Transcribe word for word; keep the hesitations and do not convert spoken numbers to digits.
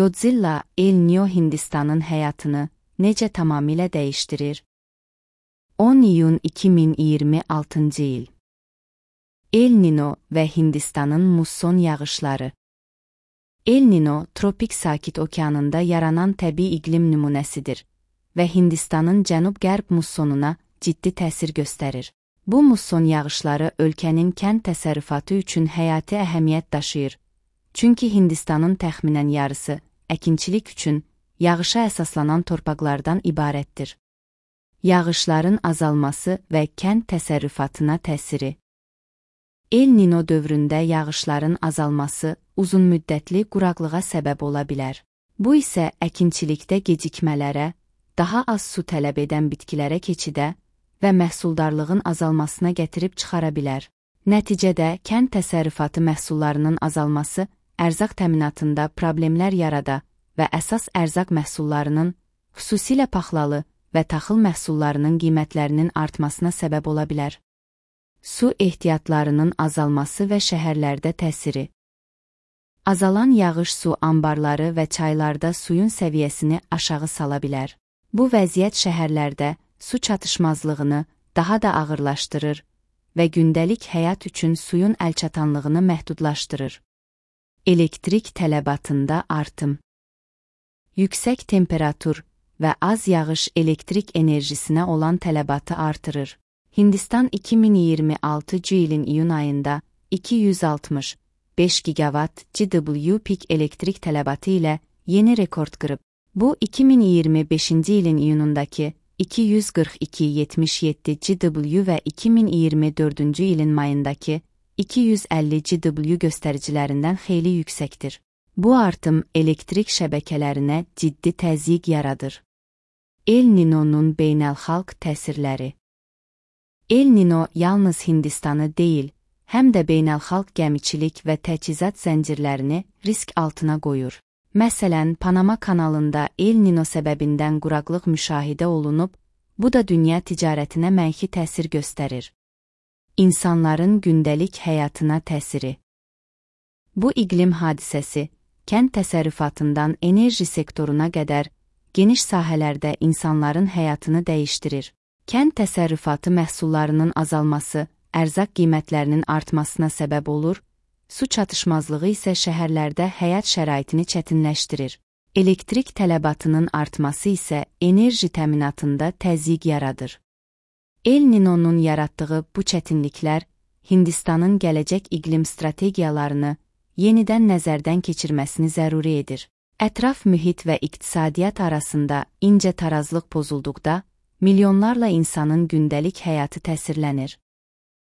Godzilla, El Niño Hindistanın həyatını necə tamamilə dəyişdirir? on iyun iki min iyirmi altıncı il. El Niño və Hindistanın musson yağışları. El Niño, tropik sakit okeanında yaranan təbii iqlim nümunəsidir və Hindistanın cənub-qərb mussonuna ciddi təsir göstərir. Bu musson yağışları ölkənin kənd təsərrüfatı üçün həyati əhəmiyyət daşıyır. Çünki Hindistanın təxminən yarısı əkinçilik üçün yağışa əsaslanan torpaqlardan ibarətdir. Yağışların azalması və kənd təsərrüfatına təsiri. El Niño dövründə yağışların azalması uzunmüddətli quraqlığa səbəb ola bilər. Bu isə əkinçilikdə gecikmələrə, daha az su tələb edən bitkilərə keçidə və məhsuldarlığın azalmasına gətirib çıxara bilər. Nəticədə kənd təsərrüfatı məhsullarının azalması ərzaq təminatında problemlər yarada və əsas ərzaq məhsullarının, xüsusilə paxlalı və taxıl məhsullarının qiymətlərinin artmasına səbəb ola bilər. Su ehtiyatlarının azalması və şəhərlərdə təsiri. Azalan yağış su anbarları və çaylarda suyun səviyyəsini aşağı sala bilər. Bu vəziyyət şəhərlərdə su çatışmazlığını daha da ağırlaşdırır və gündəlik həyat üçün suyun əlçatanlığını məhdudlaşdırır. Elektrik tələbatında artım. Yüksək temperatur və az yağış elektrik enerjisinə olan tələbatı artırır. Hindistan iki min iyirmi altıncı ilin iyun ayında iki yüz altmış beş gigawatt G W pik elektrik tələbatı ilə yeni rekord qırıb. Bu iki min iyirmi beşinci ilin iyunundakı iki yüz qırx iki yetmiş yeddi G W və iki min iyirmi dördüncü ilin mayındakı iki yüz əlli G W göstəricilərindən xeyli yüksəkdir. Bu artım elektrik şəbəkələrinə ciddi təzyiq yaradır. El Niño'nun beynəlxalq təsirləri. El Niño yalnız Hindistanı deyil, həm də beynəlxalq gəmiçilik və təchizat zəncirlərini risk altına qoyur. Məsələn, Panama kanalında El Niño səbəbindən quraqlıq müşahidə olunub, bu da dünya ticarətinə mənfi təsir göstərir. İnsanların gündəlik həyatına təsiri. Bu iqlim hadisəsi, kənd təsərrüfatından enerji sektoruna qədər geniş sahələrdə insanların həyatını dəyişdirir. Kənd təsərrüfatı məhsullarının azalması, ərzaq qiymətlərinin artmasına səbəb olur, su çatışmazlığı isə şəhərlərdə həyat şəraitini çətinləşdirir. Elektrik tələbatının artması isə enerji təminatında təzyiq yaradır. El Niño'nun yaratdığı bu çətinliklər Hindistanın gələcək iqlim strategiyalarını yenidən nəzərdən keçirməsini zəruri edir. Ətraf mühit və iqtisadiyyat arasında incə tarazlıq pozulduqda, milyonlarla insanın gündəlik həyatı təsirlənir.